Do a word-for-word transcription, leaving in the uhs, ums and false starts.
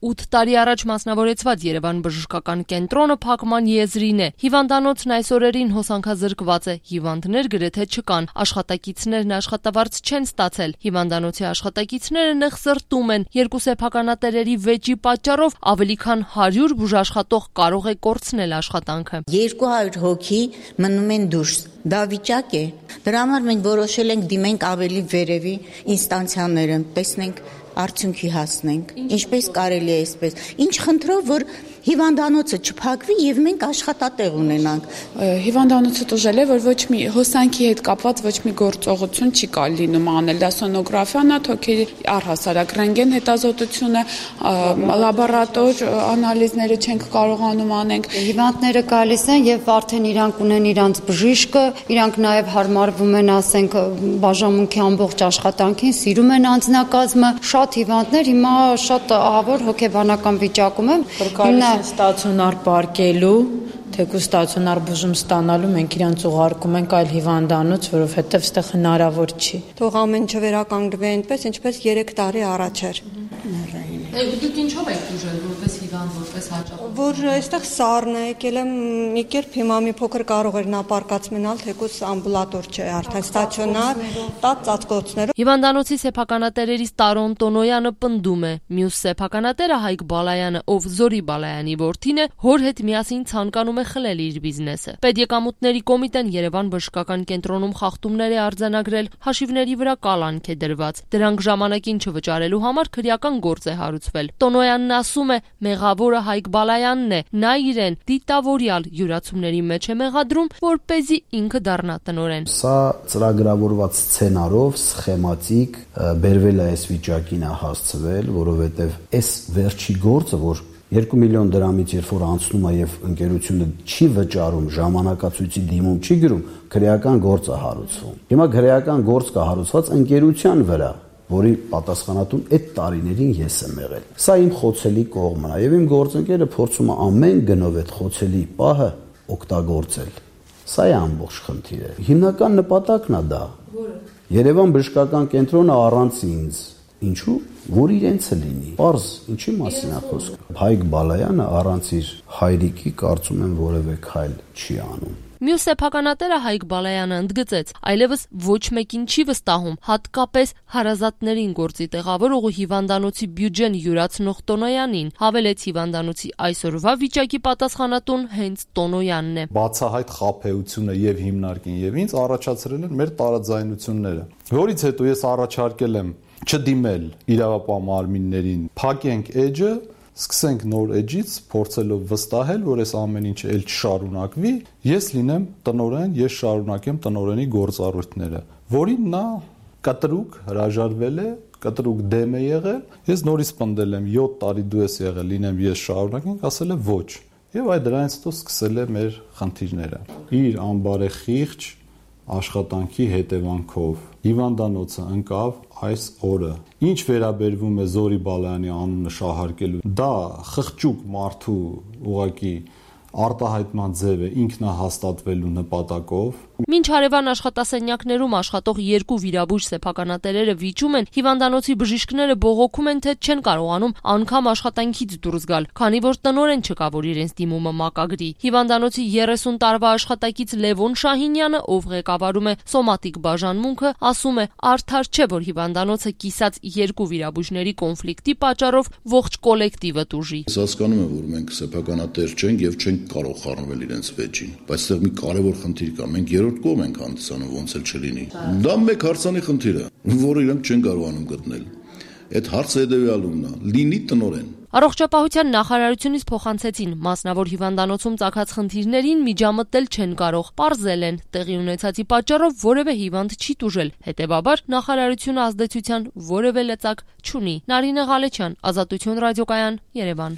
ութ տարի առաջ մասնավորեցված Երևան բժշկական կենտրոնը փակման եզրին է։ Հիվանդանոցն այս օրերին հոսանքազրկված է։ Հիվանդներ գրեթե չկան։ Աշխատակիցներն աշխատավարձ չեն ստացել։ Հիվանդանոցի աշխատակիցները նեղսրտում են։ Երկու սեփականատերերի վեճի պատճառով ավելի քան հարյուր բուժաշխատող կարող է կորցնել աշխատանքը։ երկու հարյուր հոգի մնում են դուրս։ Դա վիճակ է։ Դրա համար մենք որոշել ենք դիմենք ավելի վերևի ինստանցիաները, տեսնենք արդյունքի հասնենք, ինչպես կարելի է այսպես։ Ինչ խնդրով, որ հիվանդանոցը չփակվի եւ մենք աշխատատեղ ունենանք։ Հիվանդանոցը տուժել է, որ ոչ մի հոսանքի հետ կապված ոչ մի գործողություն չի կարելի լինում անել։ Դա սոնոգրաֆիան է, թոքերի առհասարակ ռենտգեն հետազոտությունը, լաբորատոր անալիզները չենք կարողանում անենք։ Հիվանդները գալիս են եւ արդեն իրանք ունեն իրանց բժիշկը, իրանք նաեւ հարմարվում են, ասենք, բաժանմունքի ամբողջ աշխատանքին, սիրում են անձնակազմը։ Շատ հիվանդներ հիմա շատ ահավոր հոգեբանական վիճակում են։ Ստացիոնար պարկելու, թեկուզ ստացիոնար բուժում ստանալու մենք իրանց ուղարկում ենք այլ հիվանդանոց, որովհետև այստեղ հնարավոր չի։ Թող ամեն ինչ վերականգնվի այնպես, ինչպես երեք տարի առաջ էր։ Դուք ինչով եք դժել որպես հիվանդ, որպես հաճախ։ Որ այստեղ սառն է, եկել եմ մի կերպ հիմա մի փոքր կարող էր նապարկած մնալ, թեկուզ ամբուլատոր չէ, արդեն ստացիոնար, տաց ծածկոցներով։ Հիվանդանոցի սեփականատերերից Տարոն Տոնոյանը պնդում է, մյուս սեփականատերը Հայկ Բալայանը, ով Զորի Բալայանի որդին է, հոր հետ միասին ցանկանում է խլել իր բիզնեսը։ Պետեկամուտների կոմիտեն Երևան բժշկական կենտրոնում խախտումներ է արձանագրել, հաշիվների վրա կալանք է դրված։ Դրանք ժամանակին չվճարելու համար քրեական գործ է հարուցվել։ Տոնոյանն ասում է, մեղավորը Հայկ Բալայանն է, նա իրեն դիտավորյալ յուրացումների մեջ է մեղադրում, որպեսզի ինքը դառնա տնօրեն։ Սա ծրագրավորված սցենարով, սխեմատիկ բերվել է այս վիճակին է հասցվել, որովհետև այս վերջի գործը, որ երկու միլիոն դրամից երբ որ անցնում է եւ ընկերությունը չի վճարում, ժամանակացույցի դիմում չի գրում, քրեական գործ է հարուցվում։ Հիմա քրեական գործ կա հարուցված ընկերության վրա, որի պատասխանատուն այդ տարիներին ես եմ եղել։ Սա իմ խոցելի կողմն է եւ իմ գործընկերը փորձում է ամեն գնով այդ խոցելի պահը օգտագործել։ Սա է ամբողջ խնդիրը։ Հիմնական նպատակն է դա։ Որը Երևան բժշկական կենտրոնը առանց ինձ, ինչու, որ իրենցը լինի։ Պարզ, ինչի մասին է խոսքը։ Հայկ Բալայանը առանց իր հայրիկի կարծում եմ որևէ քայլ չի անում։ Մյուս սեփականատերը Հայկ Բալայանը ընդգծեց, այլևս ոչ մեկին չի վստահում, հատկապես հարազատներին գործի տեղավորող ու հիվանդանոցի բյուջեն յուրացնող Տոնոյանին, հավելեց հիվանդանոցի այսօրվա վիճակի պատասխանատուն հենց Տոնոյանն է։ Բացահայտ խաբեությունը եւ հիմնարկին եւ ինձ առաջացրել են մեր տարաձայնությունները, որից հետո ես առաջարկել եմ չդիմել իրավապահ մարմիններին, փակենք էջը, սկսենք նոր էջից, փորձելով վստահել, որ այս ամեն ինչը էլ չշարունակվի, ես լինեմ տնօրեն, ես շարունակեմ տնօրենի գործառույթները, որին նա կտրուկ հրաժարվել է, կտրուկ դեմ է եղել, ես նորից պնդել եմ յոթ տարի դու ես եղել, լինեմ ես շարունակենք, ասել է ոչ, եւ այդ դրանից հետո սկսել է մեր խնդիրները։ Իր անբարեխիղճ աշխատանքի հետևանքով հիվանդանոցը ընկավ այս օրը։ Ինչ վերաբերվում է Զորի Բալայանի անունը շահարկելու, դա խղճուկ մարդու ուղակի արտահայտման ձև է ինքնահաստատվելու նպատակով։ Մինչ հարևան աշխատասենյակներում աշխատող երկու վիրաբույժ սեփականատերերը վիճում են, հիվանդանոցի բժիշկները բողոքում են, թե չեն կարողանում անգամ աշխատանքից դուրս գալ, քանի որ տնօրեն չկա, որ իրենց դիմումը մակագրի։ Հիվանդանոցի երեսուն տարվա աշխատակից Լևոն Շահինյանը, ով ղեկավարում է սոմատիկ բաժանմունքը, ասում է, արդար չէ, որ հիվանդանոցը կիսած երկու վիրաբույժների կոնֆլիկտի պատճառով ողջ կոլեկտիվը տուժի։ Հասկանում եմ, որ մենք սեփականատեր չենք եւ չենք կարող խառնվել իրենց վեճին, բայց այստեղ մի կարևոր խնդիր կա, մենք երրորդ կողմ ենք հանդիսանում, ոնց էլ չլինի։ Դա մեկ հարցանի խնդիր է, որը իրանք չեն կարողանում գտնել։ Այդ հարցը հետեւյալումն է՝ լինի տնօրեն։ Առողջապահության նախարարությունից փոխանցեցին, մասնավոր հիվանդանոցում ծագած խնդիրներին միջամտել չեն կարող, պարզել են, տեղի ունեցածի պատճառով որևէ հիվանդ չի տուժել, հետևաբար նախարարությունը ազդեցության որևէ լծակ չունի։ Նարինե Ղալեչյան, Ազատություն ռադիոկայան, Երևան։